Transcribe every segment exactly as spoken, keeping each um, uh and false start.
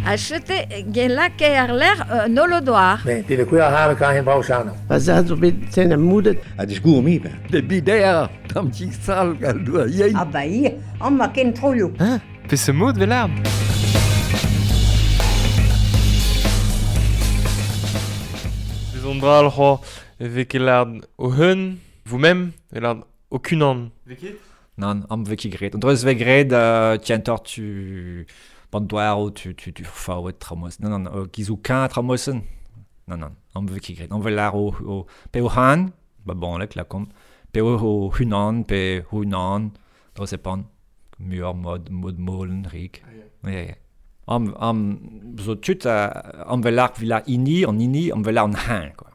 A chete gelake ar l'air euh, nolodoar. Ne, det vil kunne have kan hen brauchano. Va zad zo bet ten a moudet. A disgour mi ben. De bider, tam ti sal gal doa yein. Ah ba ia, an ma ken troio. Hein? Pe se mod vel ard? Bezon dral c'ho vez ket lard o hun, vous-même, e lard o kunan. Vez ket? Nan, am vez ket graet. An dreuz vez graet, euh, tientor tu... Bandoaro, tu tu tu faouet tramos. Non non, euh, gizou kan tramosen. Non non, am vez ket graet. Am vez lar o, o pe o han, ba bon lek la kom. Pe o o hunan, pe hunan, dreuz e pan. Muur mod mod molen rik. Ah, yeah. Yeah, yeah. Am am zo tut a am vez lar vila ini an ini, am vez lar an han quoi.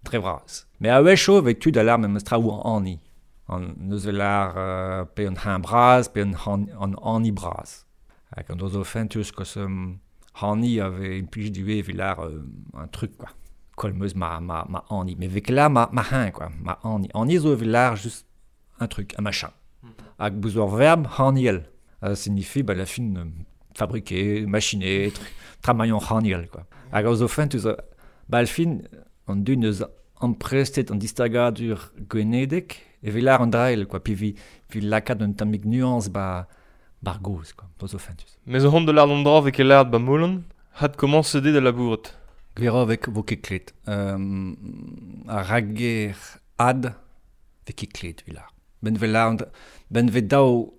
Dre vras. Mais a wecho vez tud a lar memes tra ou an ani. An neus vez lar euh, pe an han bras, pe an han, an ani bras. Hag an dozo fentus kos um, hani avait implij du evit lar euh, un truc quoi. Kolmeus ma ma ma ani, mais vez là ma ma han quoi, ma ani. Ani zo evit lar juste un truc, un machin. Hag bouz ur verbe haniel. Ça signifie bah, la fin euh, fabriquer, machiner, tr tramaillon haniel quoi. Hag zo fentus ba al fin an dun eus amprestet an distagadur gwenedek evit lar an drael quoi, pi vi vi lakaat un tammig nuance ba bar goz quoi, zo fentus. Mais zo hont de lard an dra vez ket lard ba molan, had komañs de da labouret. Gwir vek vo ket klet. Um, a rager ad vez ket klet vi lar. Ben ve lar ben ve daou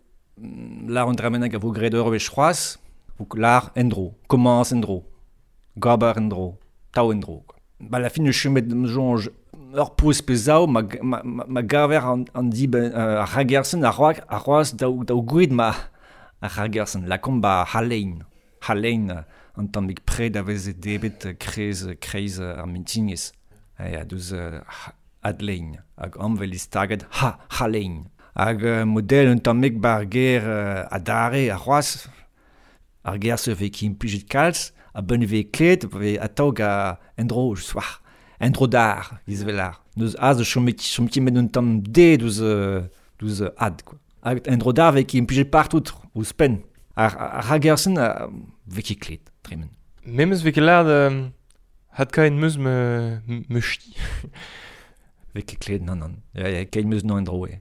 lar an dramenag a vo graet ur wech c'hoazh, vo lar endro, komañs endro, gaber endro, taou endro quoi. Ba la fin ne chumet jonge ur pouz pe zaou ma, ma, ma, ma gaver an, an di ben, uh, ar ragersen a roak a roaz daou, daou gouid ma ar ragersen la kom ba halein halein an tammig pred a veze debet krez kreiz ar mintinez ha deus uh, adlein hag amvel istaget ha halein hag uh, model un tammig bar ger uh, adare a c'hoazh ar ger se vez ki implijet kalz a ben vez klet vez atao ga endro soir endro dar giz velar neus az chomet chomet met un tamm de deus deus ad quoi hag endro dar vez ki implijet partout ouzhpenn ar ar ragersen vez ket klet tremen. Memes vez ket lard euh, had kaen meus me me chti. Vez ket klet non non. Ya ya ket meus non endro e.